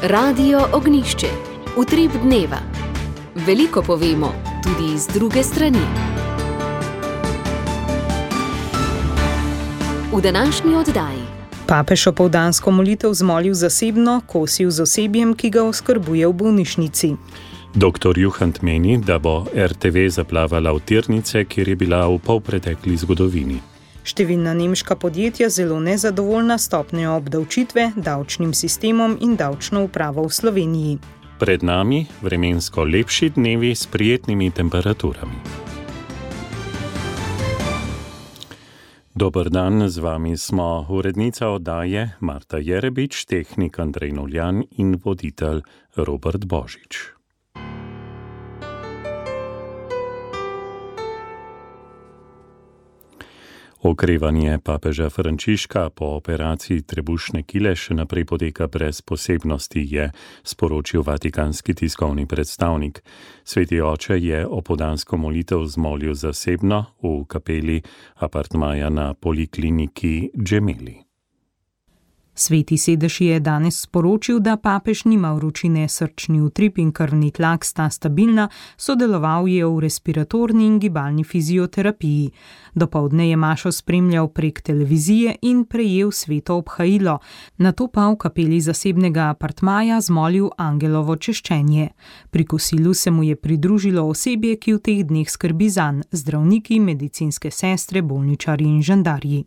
Radio Ognjišče. Utrip dneva. Veliko povemo, tudi z druge strani. V današnji oddaji. Papež opoldansko molitev zmolil zasebno, kosil z osebjem, ki ga oskrbuje v bolnišnici. Dr. Juhant meni, da bo RTV zaplavala v tirnice, kjer je bila v polpretekli zgodovini. Številna nemška podjetja zelo nezadovoljna stopnjo obdavčitve, davčnim sistemom in davčno upravo v Sloveniji. Pred nami vremensko lepši dnevi s prijetnimi temperaturami. Dober dan, z vami smo urednica oddaje Marta Jerebič, tehnik Andrej Noljan in voditelj Robert Božič. Okrevanje papeža Frančiška po operaciji trebušne kile še naprej poteka brez posebnosti, je sporočil vatikanski tiskovni predstavnik. Sveti oče je opoldansko molitev zmolil zasebno v kapeli apartmaja na polikliniki Gemelli. Sveti sedež je danes sporočil, da papež nima vročine, srčni utrip in krvni tlak sta stabilna, sodeloval je v respiratorni in gibalni fizioterapiji. Dopoldne je mašo spremljal prek televizije in prejel sveto obhajilo, nato pa v kapeli zasebnega apartmaja zmolil angelovo češčenje. Pri kosilu se mu je pridružilo osebje, ki v teh dneh skrbi zanj, zdravniki, medicinske sestre, bolničarji in žandarji.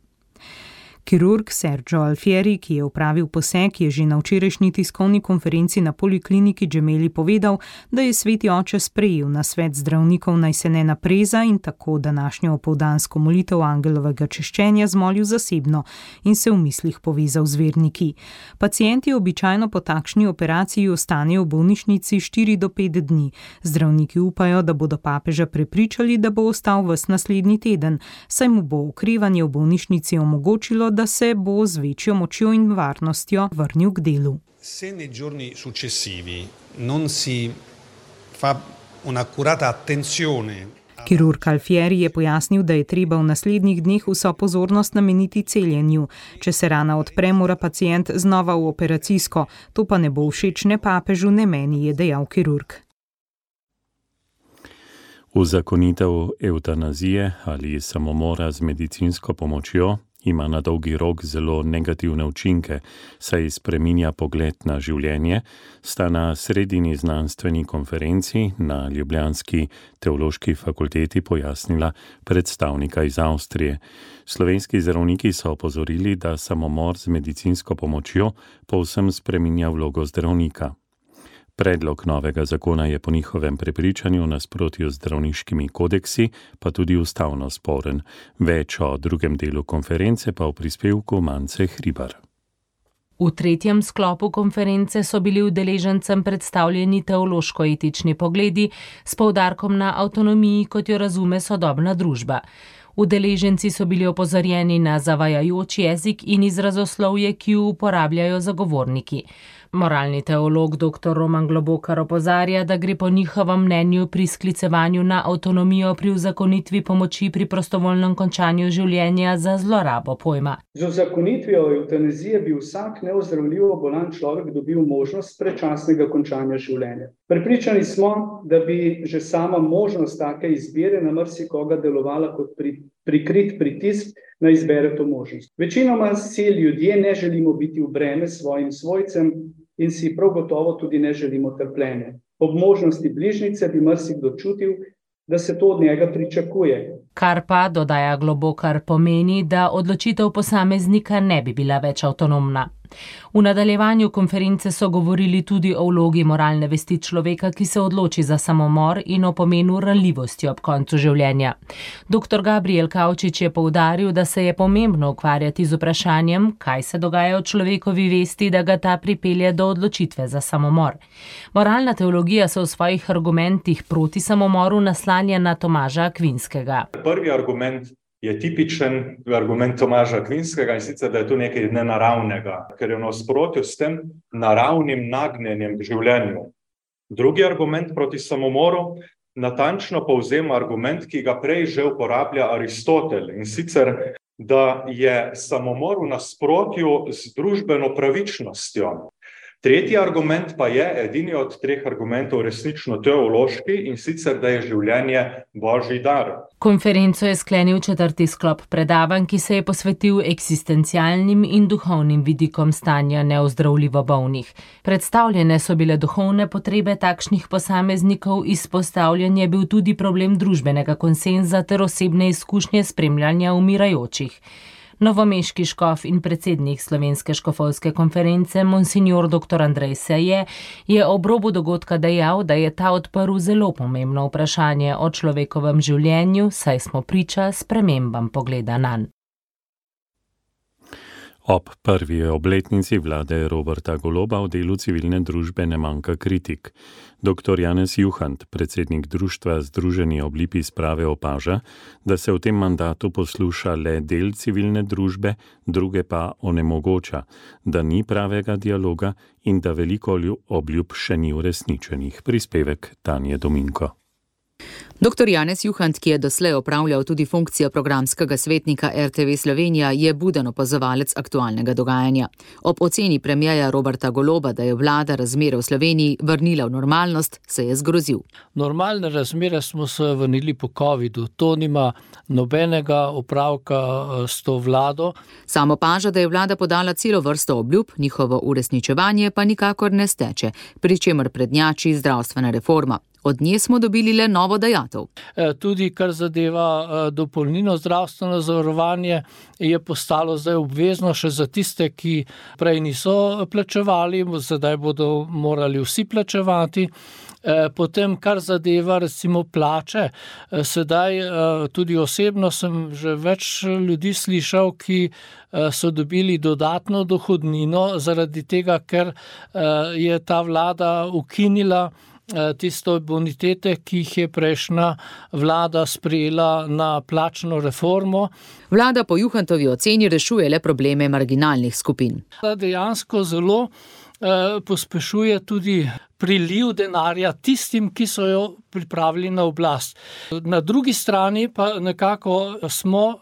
Kirurg Sergio Alfieri, ki je opravil poseg, je že na včerajšnji tiskovni konferenci na polikliniki Gemelli povedal, da je sveti oče sprejel nasvet zdravnikov, naj se ne napreza in tako današnjo opoldansko molitev angelovega češčenja zmolil zasebno in se v mislih povezal z verniki. Pacienti običajno po takšni operaciji ostanejo v bolnišnici 4 do 5 dni. Zdravniki upajo, da bodo papeža prepričali, da bo ostal ves naslednji teden, saj mu bo okrevanje v bolnišnici omogočilo, da se bo z večjo močjo in varnostjo vrnil k delu. Se nei giorni successivi non si fa un'accurata attenzione. Kirurg Alfieri je pojasnil, da je treba v naslednjih dneh vso pozornost nameniti celjenju. Če se rana odpre, mora pacient znova v operacijsko. To pa ne bo všeč ne papežu, ne meni, je dejal kirurg. Uzakonitev evtanazije ali samomora z medicinsko pomočjo ima na dolgi rok zelo negativne učinke, saj spreminja pogled na življenje, sta na sredini znanstveni konferenci na ljubljanski teološki fakulteti pojasnila predstavnika iz Avstrije. Slovenski zdravniki so opozorili, da samomor z medicinsko pomočjo povsem spreminja vlogo zdravnika. Predlog novega zakona je po njihovem prepričanju v nasprotju z zdravniškimi kodeksi, pa tudi ustavno sporen. Več o drugem delu konference pa v prispevku Mance Hribar. V tretjem sklopu konference so bili udeležencem predstavljeni teološko-etični pogledi s poudarkom na avtonomiji, kot jo razume sodobna družba. Udeleženci so bili opozorjeni na zavajajoč jezik in izrazoslovje, ki jo uporabljajo zagovorniki. Moralni teolog dr. Roman Globokar opozarja, da gre po njihovem mnenju pri sklicevanju na avtonomijo pri uzakonitvi pomoči pri prostovoljnem končanju življenja za zlorabo pojma. Z uzakonitvijo evtanazije bi vsak neozdravljivo bolan človek dobil možnost predčasnega končanja življenja. Prepričani smo, da bi že sama možnost take izbire na marsikoga delovala kot prikrit pritisk, da izbere to možnost. Večinoma si ljudje ne želimo biti v breme svojim svojcem in si prav gotovo tudi ne želimo trpljenja. Ob možnosti bližnjice bi marsikdo čutil, da se to od njega pričakuje. Kar pa, dodaja Globokar, pomeni, da odločitev posameznika ne bi bila več avtonomna. V nadaljevanju konference so govorili tudi o vlogi moralne vesti človeka, ki se odloči za samomor, in o pomenu ranljivosti ob koncu življenja. Dr. Gabriel Kavčič je poudaril, da se je pomembno ukvarjati z vprašanjem, kaj se dogaja v človekovi vesti, da ga ta pripelje do odločitve za samomor. Moralna teologija se v svojih argumentih proti samomoru naslanja na Tomaža Akvinskega. Prvi argument je tipičen argument Tomaža Akvinskega, in sicer, da je to nekaj nenaravnega, ker je v nasprotju s tem naravnim nagnjenjem k življenju. Drugi argument proti samomoru natančno povzema argument, ki ga prej že uporablja Aristotel, in sicer, da je samomor v nasprotju z družbeno pravičnostjo. Tretji argument pa je, edini od treh argumentov, resnično teološki, in sicer, da je življenje božji dar. Konferenco je sklenil 4. sklop predavanj, ki se je posvetil eksistencialnim in duhovnim vidikom stanja neozdravljivo bolnih. Predstavljene so bile duhovne potrebe takšnih posameznikov, izpostavljen je bil tudi problem družbenega konsenza ter osebne izkušnje spremljanja umirajočih. Novomeški škof in predsednik Slovenske škofovske konference, monsignor dr. Andrej Seje, je ob robu dogodka dejal, da je ta odprl zelo pomembno vprašanje o človekovem življenju, saj smo priča spremembam pogleda nanj. Ob prvi obletnici vlade Roberta Goloba v delu civilne družbe ne manjka kritik. Dr. Janez Juhant, predsednik društva Združeni oblipi sprave, opaža, da se v tem mandatu posluša le del civilne družbe, druge pa onemogoča, da ni pravega dialoga in da veliko obljub še ni uresničenih. Prispevek Tanje Dominko. Dr. Janez Juhant, ki je doslej opravljal tudi funkcijo programskega svetnika RTV Slovenija, je buden opazovalec aktualnega dogajanja. Ob oceni premierja Roberta Goloba, da je vlada razmere v Sloveniji vrnila v normalnost, se je zgrozil. Normalne razmere smo se vrnili po covidu. To nima nobenega opravka s to vlado. Sam opaža, da je vlada podala celo vrsto obljub, njihovo uresničevanje pa nikakor ne steče, pri čemer prednjači zdravstvena reforma. Od nje smo dobili le novo dajatev. Tudi kar zadeva dopolnilno zdravstveno zavarovanje, je postalo zdaj obvezno še za tiste, ki prej niso plačevali, zdaj bodo morali vsi plačevati. Potem, kar zadeva recimo plače, sedaj tudi osebno sem že več ljudi slišal, ki so dobili dodatno dohodnino zaradi tega, ker je ta vlada ukinila tisto bonitete, ki jih je prejšnja vlada sprejela na plačno reformo. Vlada po Juhantovi oceni rešuje le probleme marginalnih skupin. Dejansko zelo pospešuje tudi priliv denarja tistim, ki so jo pripravili na oblast. Na drugi strani pa nekako smo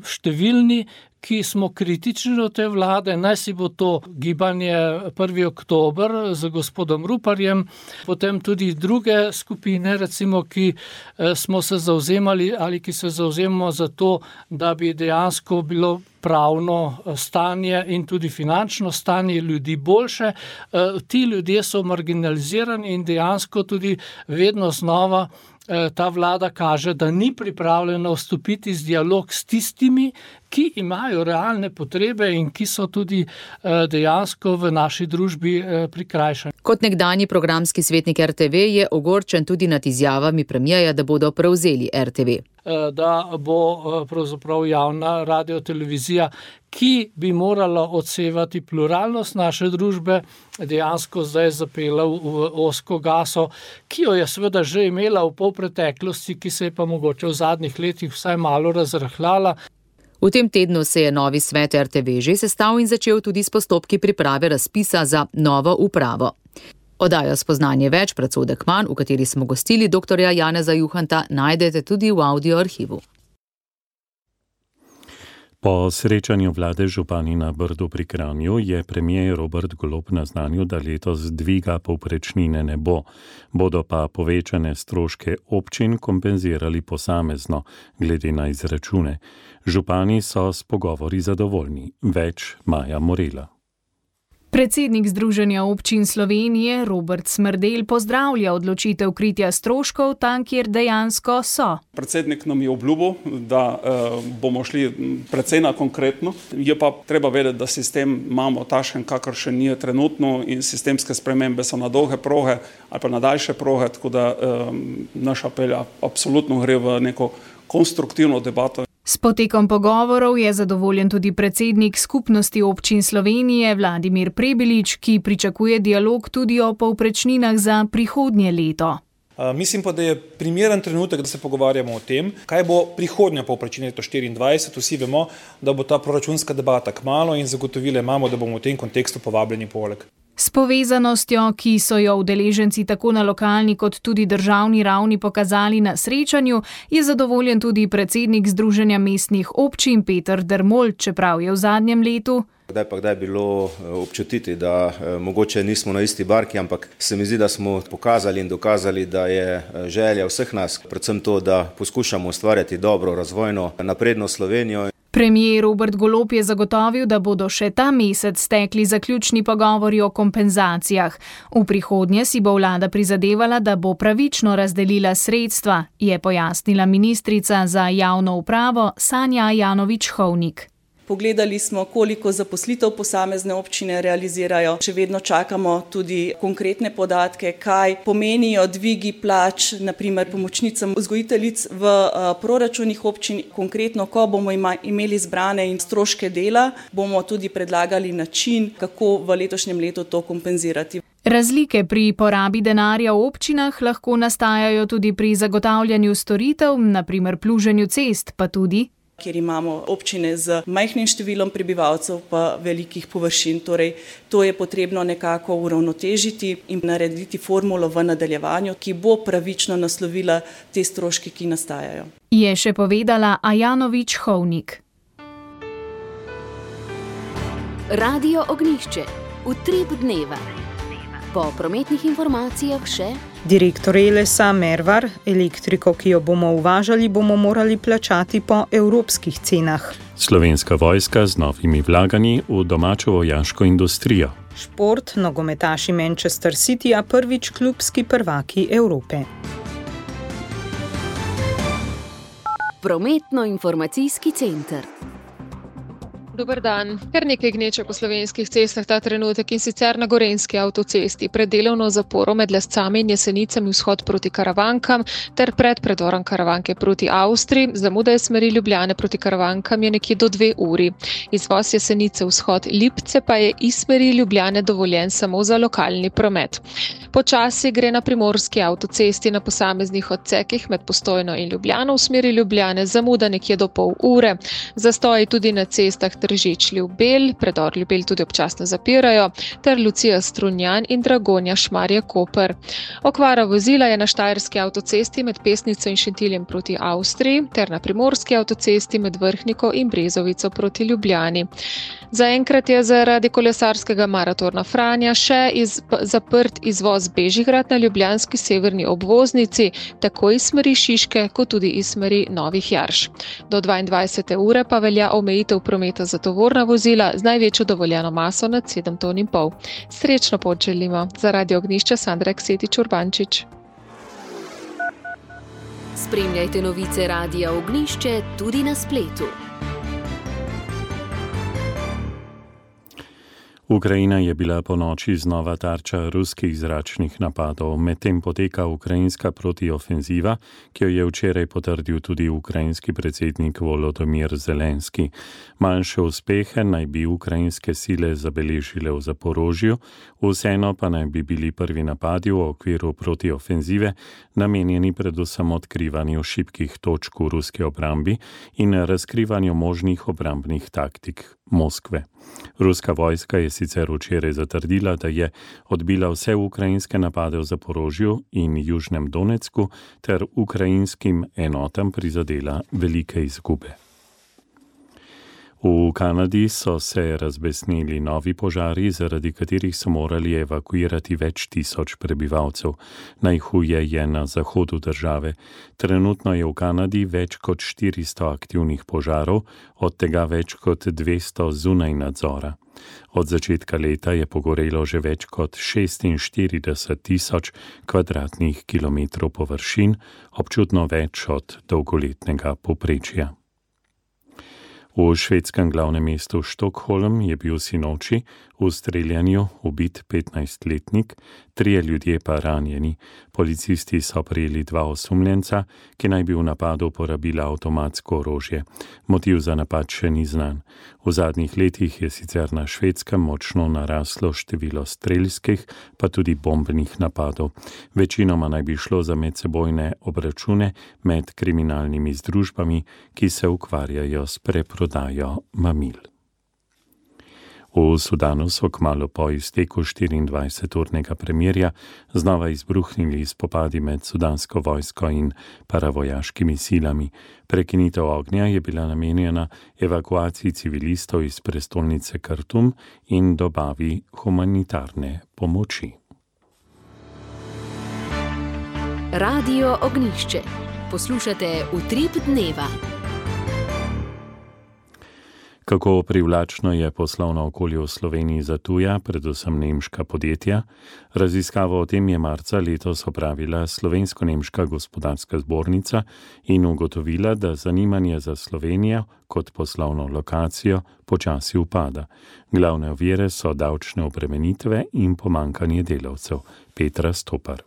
številni, ki smo kritični do te vlade, naj si bo to gibanje 1. oktober z gospodom Ruparjem, potem tudi druge skupine, recimo, ki smo se zavzemali ali ki se zavzemamo za to, da bi dejansko bilo pravno stanje in tudi finančno stanje ljudi boljše. Ti ljudje so marginalizirani in dejansko tudi vedno znova ta vlada kaže, da ni pripravljena vstopiti z dialog s tistimi, ki imajo realne potrebe in ki so tudi dejansko v naši družbi prikrajšani. Kot nekdanji programski svetnik RTV je ogorčen tudi nad izjavami premierja, da bodo prevzeli RTV. Da bo pravzaprav javna radiotelevizija, ki bi morala odsevati pluralnost naše družbe, dejansko zdaj zapela v ozko gaso, ki jo je seveda že imela v polpreteklosti, ki se je pa mogoče v zadnjih letih vsaj malo razrahljala. V tem tednu se je novi svet RTV že sestal in začel tudi s postopki priprave razpisa za novo upravo. Oddajo Spoznanje več, predsodek manj, v kateri smo gostili dr. Janeza Juhanta, najdete tudi v audio arhivu. Po srečanju vlade župani na Brdu pri Kranju je premier Robert Golob naznanil, da letos dviga povprečnine ne bo. Bodo pa povečane stroške občin kompenzirali posamezno, glede na izračune. Župani so s pogovori zadovoljni. Več Maja Morela. Predsednik Združenja občin Slovenije Robert Smrdelj pozdravlja odločitev kritja stroškov tam, kjer dejansko so. Predsednik nam je obljubil, da bomo šli precej na konkretno. Je pa treba vedeti, da sistem imamo takšen, kakršen je trenutno in sistemske spremembe so na dolge proge ali pa na daljše proge, tako da naš apel absolutno gre v neko konstruktivno debato. S potekom pogovorov je zadovoljen tudi predsednik Skupnosti občin Slovenije Vladimir Prebelič, ki pričakuje dialog tudi o povprečninah za prihodnje leto. Mislim pa, da je primeren trenutek, da se pogovarjamo o tem, kaj bo prihodnja povprečnina leto 2024. Vsi vemo, da bo ta proračunska debata kmalu in zagotovile imamo, da bomo v tem kontekstu povabljeni poleg. S povezanostjo, ki so jo udeleženci tako na lokalni kot tudi državni ravni pokazali na srečanju, je zadovoljen tudi predsednik Združenja mestnih občin Peter Dermol, čeprav je v zadnjem letu Kdaj bilo občutiti, da mogoče nismo na isti barki, ampak se mi zdi, da smo pokazali in dokazali, da je želja vseh nas, predvsem to, da poskušamo ustvarjati dobro, razvojno, napredno Slovenijo. Premier Robert Golob je zagotovil, da bodo še ta mesec stekli zaključni pogovori o kompenzacijah. V prihodnje si bo vlada prizadevala, da bo pravično razdelila sredstva, je pojasnila ministrica za javno upravo Sanja Ajanović-Hovnik. Pogledali smo, koliko zaposlitev posamezne občine realizirajo. Še vedno čakamo tudi konkretne podatke, kaj pomenijo dvigi plač, naprimer pomočnicam vzgojiteljic v proračunih občin. Konkretno, ko bomo imeli zbrane in stroške dela, bomo tudi predlagali način, kako v letošnjem letu to kompenzirati. Razlike pri porabi denarja v občinah lahko nastajajo tudi pri zagotavljanju storitev, naprimer pluženju cest, pa tudi kjer imamo občine z majhnim številom prebivalcev pa velikih površin. Torej, to je potrebno nekako uravnotežiti in narediti formulo v nadaljevanju, ki bo pravično naslovila te stroške, ki nastajajo. Je še povedala Ajanović-Hovnik. Radio Ognjišče. Utrip dneva. Po prometnih informacijah še direktor Elesa Mervar, elektriko, ki jo bomo uvažali, bomo morali plačati po evropskih cenah. Slovenska vojska z novimi vlaganji v domačo vojaško industrijo. Šport, nogometaši Manchester Cityja prvič klubski prvaki Evrope. Prometno-informacijski center. Dober dan. Kar nekaj gneče po slovenskih cestah ta trenutek in sicer na Gorenjski avtocesti pred delovno zaporo med Lescami in Jesenicami vzhod proti Karavankam ter pred predorom Karavanke proti Avstriji. Zamuda iz smeri Ljubljane proti Karavankam je nekje do 2 uri. Izvoz Jesenice vzhod Lipce pa je iz smeri Ljubljane dovoljen samo za lokalni promet. Počasi gre na Primorski avtocesti na posameznih odsekih med Postojno in Ljubljano v smeri Ljubljane, zamuda nekje do pol ure. Zastoji tudi na cestah Tržič-Ljubelj, predor Ljubelj tudi občasno zapirajo, ter Lucija-Strunjan in Dragonja-Šmarje-Koper. Okvara vozila je na Štajerski avtocesti med Pesnico in Šentiljem proti Avstriji ter na Primorski avtocesti med Vrhniko in Brezovico proti Ljubljani. Zaenkrat je zaradi kolesarskega maratona Franja še zaprt izvoz Bežigrad na ljubljanski severni obvoznici, tako iz smeri Šiške kot tudi iz smeri Novih Jarš. Do 22. ure pa velja omejitev prometa za tovorna vozila z največjo dovoljeno maso nad 7,5 ton. Srečno pot želimo. Za Radio Ognjišče Sandra Ksetič-Urbančič. Spremljajte novice Radia Ognjišče tudi na spletu. Ukrajina je bila ponoči znova tarča ruskih zračnih napadov, medtem poteka ukrajinska protiofenziva, ki jo je včeraj potrdil tudi ukrajinski predsednik Volodymyr Zelenski. Manjše uspehe naj bi ukrajinske sile zabeležile v Zaporožju, vseeno pa naj bi bili prvi napadi v okviru protiofenzive namenjeni predvsem odkrivanju šibkih točk v ruski obrambi in razkrivanju možnih obrambnih taktik Moskve. Ruska vojska je sicer včeraj zatrdila, da je odbila vse ukrajinske napade v Zaporožju in Južnem Donecku ter ukrajinskim enotam prizadela velike izgube. V Kanadi so se razbesneli novi požari, zaradi katerih so morali evakuirati več tisoč prebivalcev. Najhuje je na zahodu države. Trenutno je v Kanadi več kot 400 aktivnih požarov, od tega več kot 200 zunaj nadzora. Od začetka leta je pogorelo že več kot 46,000 kvadratnih kilometrov površin, občutno več od dolgoletnega povprečja. V švedskem glavnem mestu Štokholm je bil sinoči v streljanju ubit 15-letnik, 3 ljudje pa ranjeni. Policisti so prijeli 2 osumljenca, ki naj bi v napadu uporabila avtomatsko orožje. Motiv za napad še ni znan. V zadnjih letih je sicer na Švedskem močno naraslo število strelskih, pa tudi bombnih napadov. Večinoma naj bi šlo za medsebojne obračune med kriminalnimi združbami, ki se ukvarjajo s preprodajo mamil. V Sudanu so kmalu po izteku 24-urnega premirja znova izbruhnili spopadi med sudansko vojsko in paravojaškimi silami. Prekinitev ognja je bila namenjena evakuaciji civilistov iz prestolnice Khartoum in dobavi humanitarne pomoči. Radio Ognjišče. Poslušate Utrip dneva. Kako privlačno je poslovno okolje v Sloveniji za tuja, predvsem nemška podjetja? Raziskavo o tem je marca letos opravila Slovensko-nemška gospodarska zbornica in ugotovila, da zanimanje za Slovenijo kot poslovno lokacijo počasi upada. Glavne ovire so davčne obremenitve in pomanjkanje delavcev. Petra Stopar.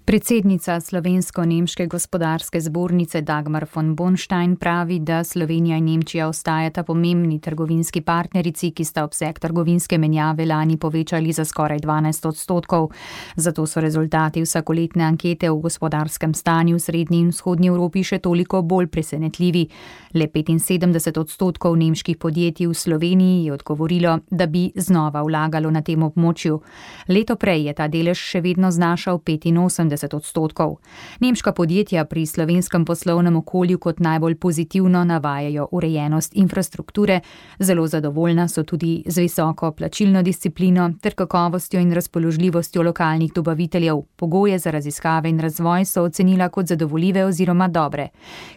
Predsednica Slovensko-nemške gospodarske zbornice Dagmar von Bonstein pravi, da Slovenija in Nemčija ostajata pomembni trgovinski partnerici, ki sta obseg trgovinske menjave lani povečali za skoraj 12%. Zato so rezultati vsakoletne ankete o gospodarskem stanju v srednji in vzhodnji Evropi še toliko bolj presenetljivi. Le 75% nemških podjetij v Sloveniji je odgovorilo, da bi znova vlagalo na tem območju. Leto prej je ta delež še vedno znašal 85%. Nemška podjetja pri slovenskem poslovnem okolju kot najbolj pozitivno navajajo urejenost infrastrukture, zelo zadovoljna so tudi z visoko plačilno disciplino ter kakovostjo in razpoložljivostjo lokalnih dobaviteljev. Pogoje za raziskave in razvoj so ocenila kot zadovoljive oziroma dobre.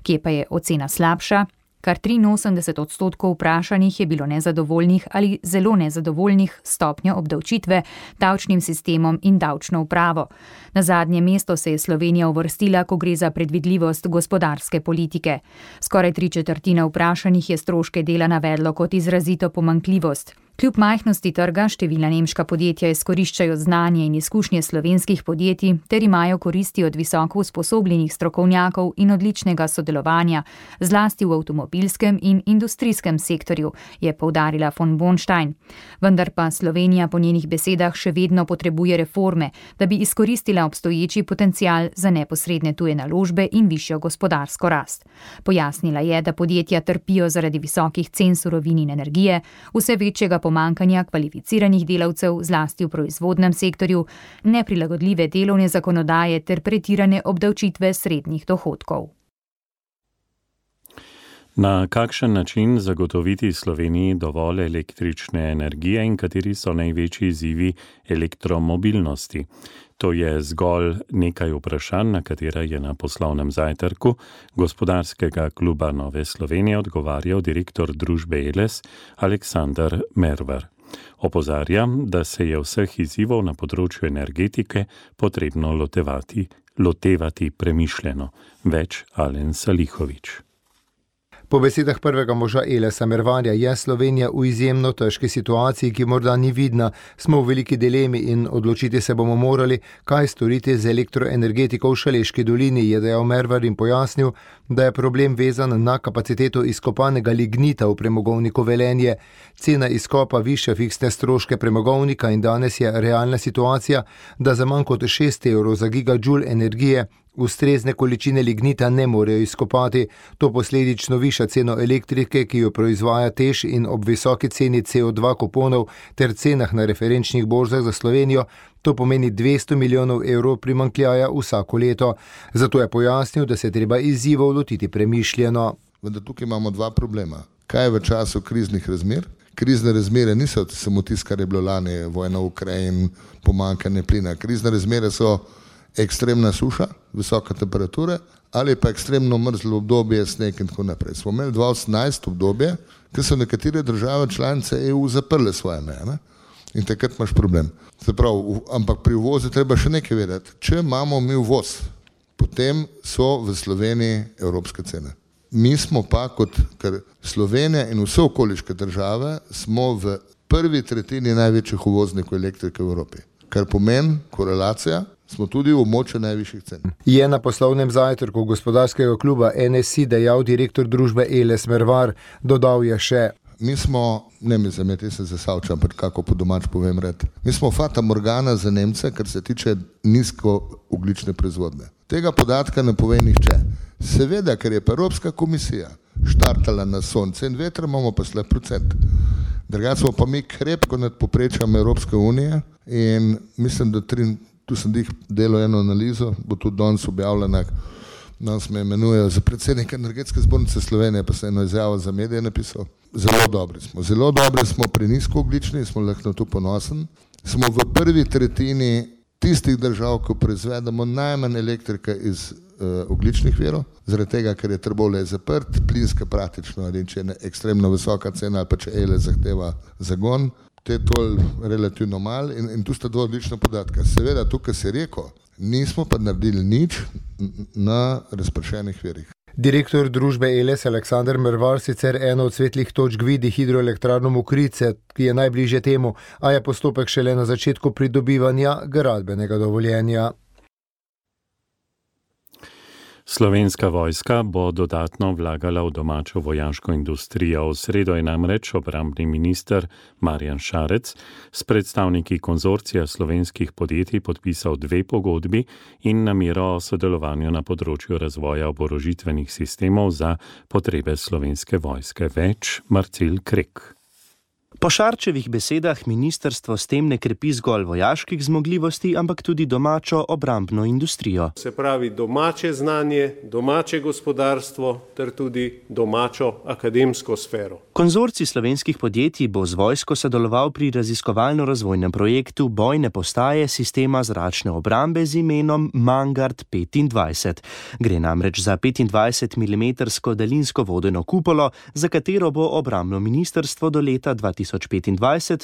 Kje pa je ocena slabša? Kar 83% vprašanih je bilo nezadovoljnih ali zelo nezadovoljnih stopnjo obdavčitve, davčnim sistemom in davčno upravo. Na zadnje mesto se je Slovenija uvrstila, ko gre za predvidljivost gospodarske politike. Skoraj 3/4 vprašanih je stroške dela navedlo kot izrazito pomanjkljivost. Kljub majhnosti trga številna nemška podjetja izkoriščajo znanje in izkušnje slovenskih podjetij ter imajo koristi od visoko usposobljenih strokovnjakov in odličnega sodelovanja, zlasti v avtomobilskem in industrijskem sektorju, je poudarila von Bonstein. Vendar pa Slovenija po njenih besedah še vedno potrebuje reforme, da bi izkoristila obstoječi potencial za neposredne tuje naložbe in višjo gospodarsko rast. Pojasnila je, da podjetja trpijo zaradi visokih cen surovin in energije, vse večjega pomanjkanja kvalificiranih delavcev, zlasti v proizvodnem sektorju, neprilagodljive delovne zakonodaje ter pretirane obdavčitve srednjih dohodkov. Na kakšen način zagotoviti Sloveniji dovolj električne energije in kateri so največji izzivi elektromobilnosti? To je zgolj nekaj vprašanj, na katera je na poslovnem zajtrku gospodarskega kluba Nove Slovenije odgovarjal direktor družbe Eles Aleksander Mervar. Opozarja, da se je vseh izzivov na področju energetike potrebno lotevati premišljeno. Več Alen Salihovič. Po besedah prvega moža Elesa Mervarja je Slovenija v izjemno težki situaciji, ki morda ni vidna. Smo v veliki dilemi in odločiti se bomo morali, kaj storiti z elektroenergetiko v Šaleški dolini, je dejal Mervar in pojasnil, da je problem vezan na kapaciteto izkopanega lignita v premogovniku Velenje. Cena izkopa višja fiksne stroške premogovnika in danes je realna situacija, da za manj kot 6 evrov za gigajoule energije ustrezne količine lignita ne morejo izkopati. To posledično viša ceno elektrike, ki jo proizvaja TEŠ, in ob visoki ceni CO2 kuponov ter cenah na referenčnih borzah za Slovenijo, to pomeni 200 milijonov evrov primanjkljaja vsako leto. Zato je pojasnil, da se treba izzivov lotiti premišljeno. Vendar tukaj imamo dva problema. Kaj je v času kriznih razmer? Krizne razmere niso samo tisto, kar je bilo lani, vojna v Ukrajini, pomanjkanje plina. Krizne razmere so ekstremna suša, visoka temperature ali pa ekstremno mrzlo obdobje, sneg in tako naprej. Smo imeli 2018 obdobje, ko so nekatere države članice EU zaprle svoje meje, ne? In takrat imaš problem. Se pravi, ampak pri uvozu treba še nekaj vedeti. Če imamo mi uvoz, potem so v Sloveniji evropske cene. Mi smo pa ker Slovenija in vse okoliške države smo v prvi tretjini največjih uvoznikov elektrike v Evropi, kar pomeni korelacija, smo tudi v območju najvišjih cen. Je na poslovnem zajtrku gospodarskega kluba NSI dejal direktor družbe Eles Mervar. Dodal je še: Mi smo, ne mi zameti se zasavčam, kako po domač povem red, mi smo fata morgana za Nemce, kar se tiče nizkoogljične proizvodnje. Tega podatka ne pove nihče. Seveda, ker je pa Evropska komisija štartala na sonce in veter, imamo pa slab procent. Drugače smo pa mi krepko nad povprečjem Evropske unije in mislim, da tu sem delal eno analizo, bo tudi danes objavljena, danes me imenujejo za predsednika Energetske zbornice Slovenije, pa sem eno izjavo za medije napisal. Zelo dobri smo pri nizkoogljični, smo lahko na to ponosen. Smo v prvi tretjini tistih držav, ko proizvedemo najmanj elektrike iz ogljičnih virov, zaradi tega, ker je Trbovlje zaprt, plinska praktično, ali če je ekstremno visoka cena ali pa če ELE zahteva zagon, te je to relativno malo in tu sta dva odlična podatka. Seveda, tukaj si rekel, nismo pa naredili nič na razpršenih virih. Direktor družbe ELES Aleksander Mervar sicer eno od svetlih točk vidi hidroelektrarno Mokrice, ki je najbližje temu, a je postopek šele na začetku pridobivanja gradbenega dovoljenja. Slovenska vojska bo dodatno vlagala v domačo vojaško industrijo. V sredo je namreč obrambni minister Marjan Šarec s predstavniki konzorcija slovenskih podjetij podpisal 2 pogodbi in namero o sodelovanju na področju razvoja oborožitvenih sistemov za potrebe slovenske vojske. Več Marcel Krek. Po Šarčevih besedah ministrstvo s tem ne krepi zgolj vojaških zmogljivosti, ampak tudi domačo obrambno industrijo. Se pravi domače znanje, domače gospodarstvo ter tudi domačo akademsko sfero. Konzorcij slovenskih podjetij bo z vojsko sodeloval pri raziskovalno-razvojnem projektu bojne postaje sistema zračne obrambe z imenom Mangard 25. Gre namreč za 25 mm daljinsko vodeno kupolo, za katero bo obrambno ministrstvo do leta 2025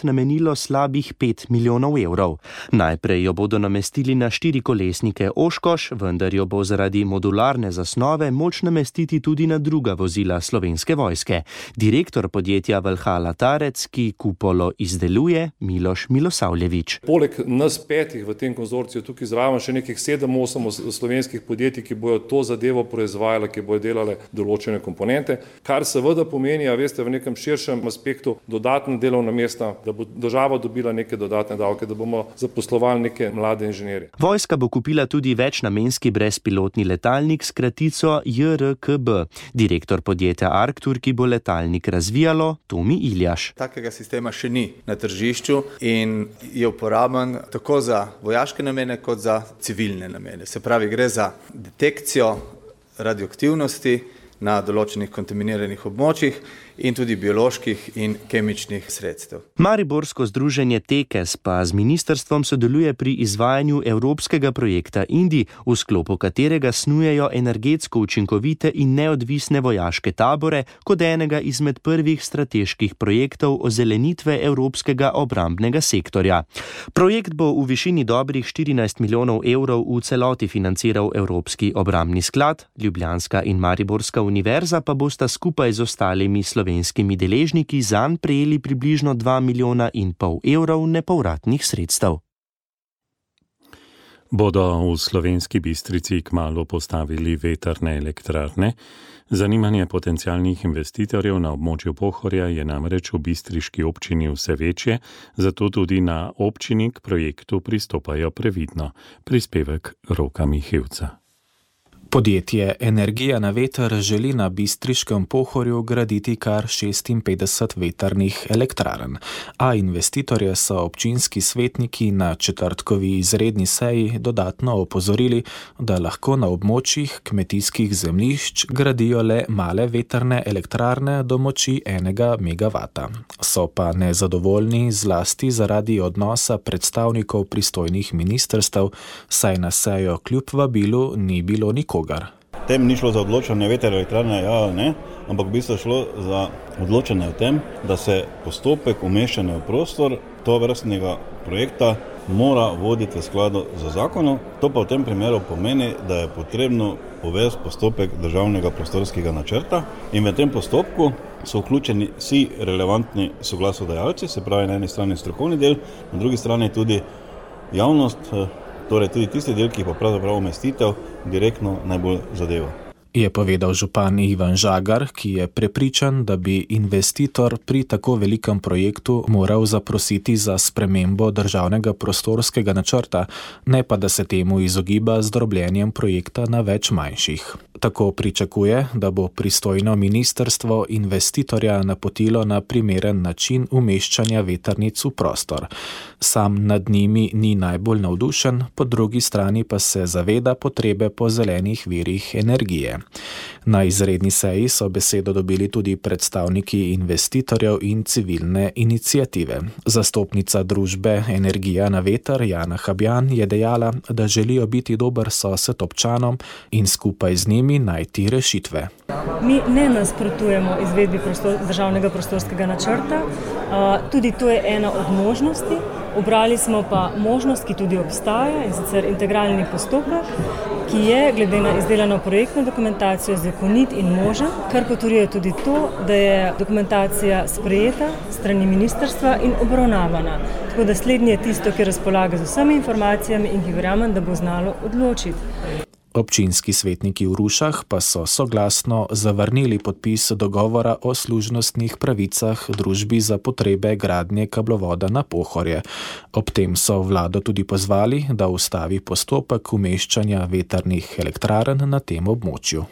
namenilo slabih 5 milijonov evrov. Najprej jo bodo namestili na 4-kolesnike Oshkosh, vendar jo bo zaradi modularne zasnove moč namestiti tudi na druga vozila slovenske vojske. Direktor podjetja Valhalla Tarec, ki kupolo izdeluje, Miloš Milosavljević. Poleg nas 5 v tem konzorciju tukaj zraven še nekih 7-8 slovenskih podjetij, ki bojo to zadevo proizvajale, ki bojo delale določene komponente, kar seveda pomeni, a veste, v nekem širšem aspektu dodatna delovna mesta, da bo država dobila neke dodatne davke, da bomo zaposlovali neke mlade inženirje. Vojska bo kupila tudi večnamenski brezpilotni letalnik s kratico JRKB. Direktor podjetja Arctur, ki bo letalnik razvijalo, Tomi Iljaš. Takega sistema še ni na tržišču in je uporaben tako za vojaške namene kot za civilne namene. Se pravi, gre za detekcijo radioaktivnosti na določenih kontaminiranih območjih in tudi bioloških in kemičnih sredstev. Mariborsko združenje Tekes pa z ministrstvom sodeluje pri izvajanju evropskega projekta Indi, v sklopu katerega snujejo energetsko učinkovite in neodvisne vojaške tabore kot enega izmed prvih strateških projektov ozelenitve evropskega obrambnega sektorja. Projekt bo v višini dobrih 14 milijonov evrov v celoti financiral Evropski obrambni sklad, Ljubljanska in Mariborska univerza pa bosta skupaj z ostalimi slovenskimi deležniki zanj prejeli približno 2,5 milijona evrov nepovratnih sredstev. Bodo v Slovenski Bistrici kmalu postavili vetrne elektrarne? Zanimanje potencialnih investitorjev na območju Pohorja je namreč v bistriški občini vse večje, zato tudi na občini k projektu pristopajo previdno. Prispevek Roka Mihevca. Podjetje Energija na veter želi na bistriškem Pohorju graditi kar 56 vetrnih elektrarn, a investitorje so občinski svetniki na četrtkovi izredni seji dodatno opozorili, da lahko na območjih kmetijskih zemljišč gradijo le male vetrne elektrarne do moči 1 megavata. So pa nezadovoljni zlasti zaradi odnosa predstavnikov pristojnih ministrstev, saj na sejo kljub vabilu ni bilo nikogar. Tem ni šlo za odločanje vetrne elektrarne, ja ali ne, ampak v bistvu šlo za odločanje o tem, da se postopek umeščanja v prostor tovrstnega projekta mora voditi v skladu z zakonom. To pa v tem primeru pomeni, da je potrebno uvesti postopek državnega prostorskega načrta in v tem postopku so vključeni vsi relevantni soglasodajalci, se pravi na eni strani strokovni del, na drugi strani tudi javnost, torej tudi tisti del, ki pa pravzaprav umestitev direktno najbolj zadeva. Je povedal župan Ivan Žagar, ki je prepričan, da bi investitor pri tako velikem projektu moral zaprositi za spremembo državnega prostorskega načrta, ne pa da se temu izogiba z drobljenjem projekta na več manjših. Tako pričakuje, da bo pristojno ministrstvo investitorja napotilo na primeren način umeščanja vetrnic v prostor. Sam nad njimi ni najbolj navdušen, po drugi strani pa se zaveda potrebe po zelenih virih energije. Na izredni seji so besedo dobili tudi predstavniki investitorjev in civilne iniciative. Zastopnica družbe Energija na veter Jana Habjan je dejala, da želijo biti dober sosed občanom in skupaj z njimi najti rešitve. Mi ne nasprotujemo izvedbi državnega prostorskega načrta, tudi to je ena od možnosti. Obrali smo pa možnost, ki tudi obstaja, in sicer integralni postopek, ki je glede na izdelano projektno dokumentacijo zakonit in možen, kar potrjuje tudi to, da je dokumentacija sprejeta strani ministrstva in obravnavana. Tako da slednje je tisto, ki razpolaga z vsemi informacijami in ki verjamem, da bo znalo odločiti. Občinski svetniki v Rušah pa so soglasno zavrnili podpis dogovora o služnostnih pravicah družbi za potrebe gradnje kablovoda na Pohorje. Ob tem so vlado tudi pozvali, da ustavi postopek umeščanja vetrnih elektrarn na tem območju.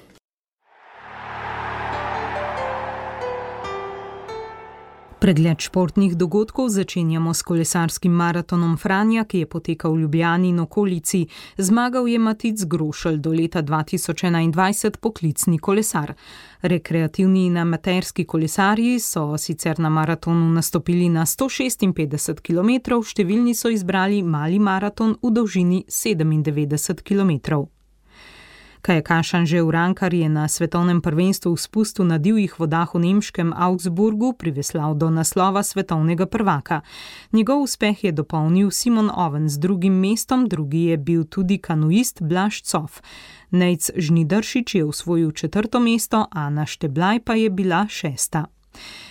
Pregled športnih dogodkov začenjamo s kolesarskim maratonom Franja, ki je potekal v Ljubljani in okolici. Zmagal je Matic Grošelj, do leta 2021 poklicni kolesar. Rekreativni in amaterski kolesarji so sicer na maratonu nastopili na 156 km, številni so izbrali mali maraton v dolžini 97 km. Kajakaš Anže Urankar je na svetovnem prvenstvu v spustu na divjih vodah v nemškem Augsburgu priveslal do naslova svetovnega prvaka. Njegov uspeh je dopolnil Simon Oven z drugim mestom, drugi je bil tudi kanuist Blaž Cof. Nejc Žnidaršič je osvojil 4. mesto, Ana Šteblaj pa je bila 6.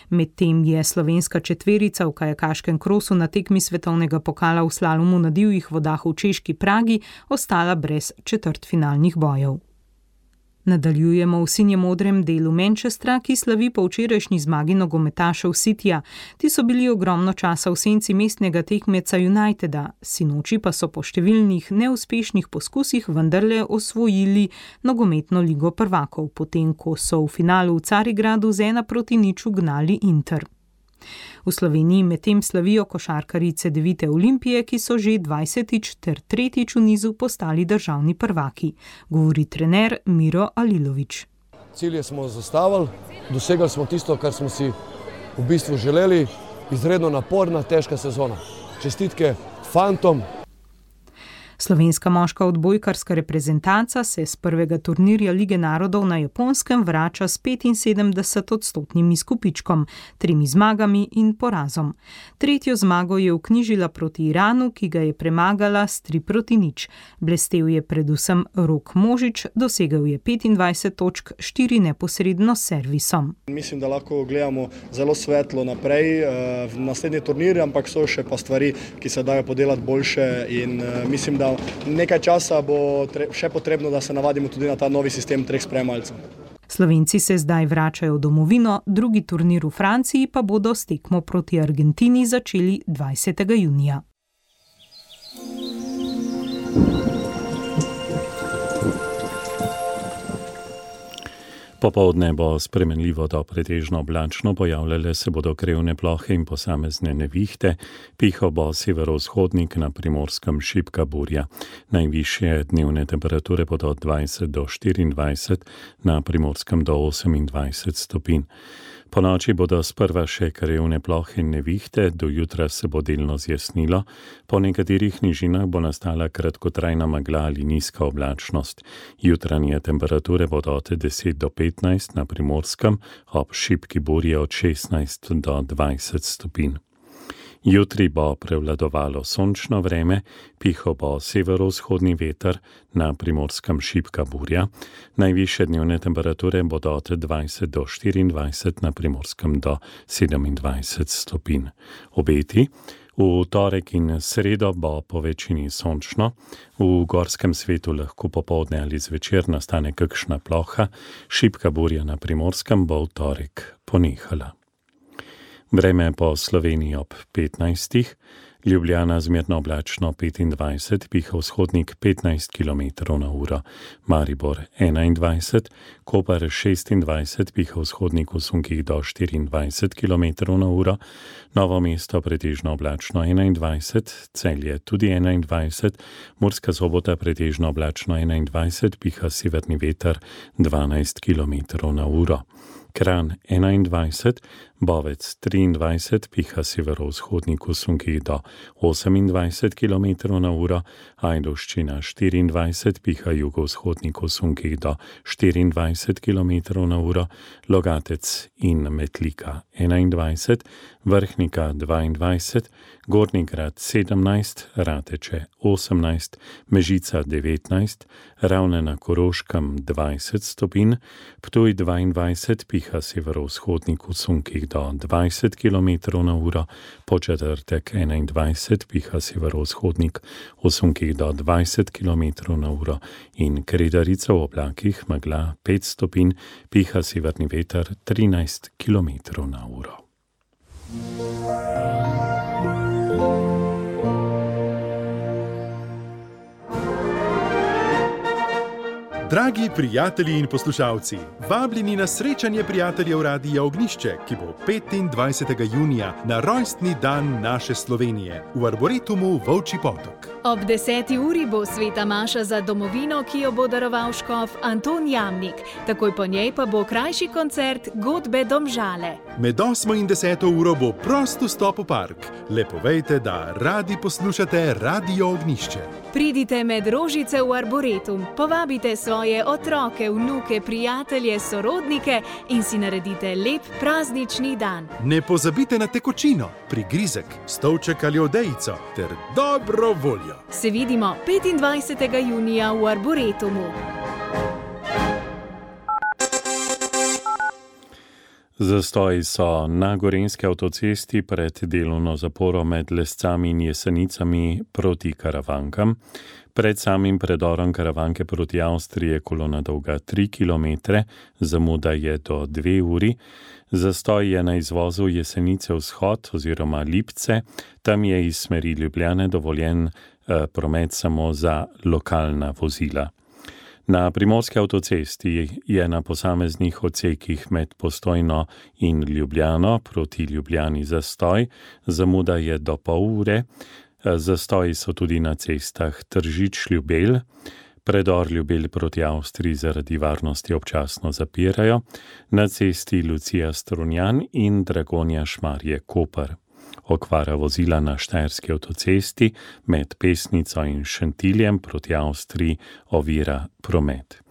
Medtem je slovenska četverica v kajakaškem krosu na tekmi svetovnega pokala v slalomu na divjih vodah v češki Pragi ostala brez četrtfinalnih bojev. Nadaljujemo v sinje-modrem delu Manchestra, ki slavi po včerajšnji zmagi nogometašev Cityja. Ti so bili ogromno časa v senci mestnega tekmeca Uniteda, sinoči pa so po številnih neuspešnih poskusih vendarle osvojili nogometno ligo prvakov, potem ko so v finalu v Carigradu z 1-0 ugnali Inter. V Sloveniji medtem slavijo košarkarice Devite Olimpije, ki so že 20. ter 3. v nizu postali državni prvaki, govori trener Miro Alilović. Cilje smo zastavili, dosegali smo tisto, kar smo si v bistvu želeli, izredno naporna, težka sezona. Čestitke fantom. Slovenska moška odbojkarska reprezentanca se z prvega turnirja Lige narodov na Japonskem vrača s 75% izkupičkom, 3 zmagami in porazom. Tretjo zmago je vknjižila proti Iranu, ki ga je premagala s 3-0. Blestel je predvsem Rok Možič, dosegel je 25 točk, 4 neposredno s servisom. Mislim, da lahko gledamo zelo svetlo naprej v naslednji turnir, ampak so še pa stvari, ki se dajo podelati boljše in mislim, da nekaj časa bo še potrebno, da se navadimo tudi na ta novi sistem 3 spremljalcev. Slovenci se zdaj vračajo v domovino, drugi turnir v Franciji pa bodo s tekmo proti Argentini začeli 20. junija. Popoldne bo spremenljivo do pretežno oblačno, pojavljale se bodo krevne plohe in posamezne nevihte, pihal bo severovzhodnik, na Primorskem šibka burja. Najvišje dnevne temperature bodo od 20 do 24, na Primorskem do 28 stopinj. Po noči bodo sprva še krevne plohe in nevihte, do jutra se bo delno zjasnilo, po nekaterih nižinah bo nastala kratkotrajna megla ali nizka oblačnost. Jutranje temperature bodo od 10 do 15 na Primorskem, ob šibki burji od 16 do 20 stopinj. Jutri bo prevladovalo sončno vreme, pihal bo severovzhodni veter, na Primorskem šibka burja. Najvišje dnevne temperature bodo od 20 do 24, na Primorskem do 27 stopinj. Obeti: v torek in sredo bo po večini sončno, v gorskem svetu lahko popoldne ali zvečer nastane kakšna ploha, šibka burja na Primorskem bo v torek ponehala. Vreme po Sloveniji ob 15. Ljubljana zmerno oblačno 25, piha vzhodnik 15 km/h, Maribor 21, Koper 26, piha vzhodnik v sunkih do 24 km/h, Novo mesto pretežno oblačno 21, Celje tudi 21, Murska Sobota pretežno oblačno 21, piha severni veter 12 km/h. Kranj 21, Bovec 23, piha severovzhodnik v sunkih do 28 km/h, Ajdovščina 24, piha jugovzhodnik v sunkih do 24 km/h, Logatec in Metlika 21, Vrhnika 22, Gornji Grad 17, Rateče 18, Mežica 19, Ravne na Koroškem 20 stopinj, Ptuj 22, piha severovzhodnik v sunkih do 20 km/h, Početrtek 21, piha severovzhodnik v sunkih do 20 km/h in Kredarica v oblakih, megla 5 stopinj, piha severni veter 13 km/h. Dragi prijatelji in poslušalci, vabljeni na srečanje prijateljev Radia Ognjišče, ki bo 25. junija na rojstni dan naše Slovenije v Arboretumu Volčji Potok. Ob 10. uri bo sveta maša za domovino, ki jo bo daroval škof Anton Jamnik. Takoj po njej pa bo krajši koncert Godbe Domžale. Med 8. in 10. uro bo prost vstop v park. Le povejte, da radi poslušate Radio Ognjišče. Pridite med rožice v Arboretum, povabite svoje otroke, vnuke, prijatelje, sorodnike in si naredite lep praznični dan. Ne pozabite na tekočino, prigrizek, stolček ali odejico ter dobro voljo. Se vidimo 25. junija v Arboretumu. Zastoji so na gorenjski avtocesti pred delovno zaporo med Lescami in Jesenicami proti Karavankam. Pred samim predorom Karavanke proti Avstriji je kolona dolga 3 km, zamuda je do 2 uri. Zastoj je na izvozu Jesenice vzhod oziroma Lipce, tam je iz smeri Ljubljane dovoljen promet samo za lokalna vozila. Na primorski avtocesti je na posameznih odsekih med Postojno in Ljubljano proti Ljubljani zastoj, zamuda je do pol ure. Zastoji so tudi na cestah Tržič-Ljubelj, predor Ljubelj proti Avstriji zaradi varnosti občasno zapirajo, na cesti Lucija-Strunjan in Dragonja-Šmarje-Koper. Okvara vozila na štajerski avtocesti med Pesnico in Šentiljem proti Avstriji ovira promet.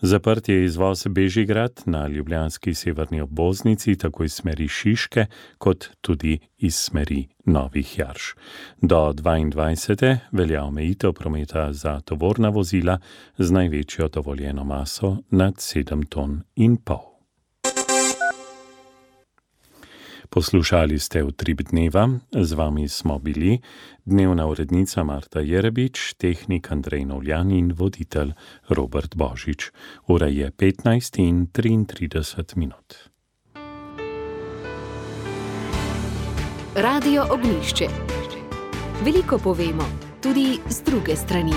Zaprt je izvoz Bežigrad na ljubljanski severni obvoznici, tako iz smeri Šiške, kot tudi iz smeri Novih Jarš. Do 22. velja omejitev prometa za tovorna vozila z največjo dovoljeno maso nad 7,5 ton. Poslušali ste Utrip dneva, z vami smo bili dnevna urednica Marta Jerebič, tehnik Andrej Novljan in voditelj Robert Božič. Ura je 15:33. Radio Ognjišče. Veliko povemo, tudi z druge strani.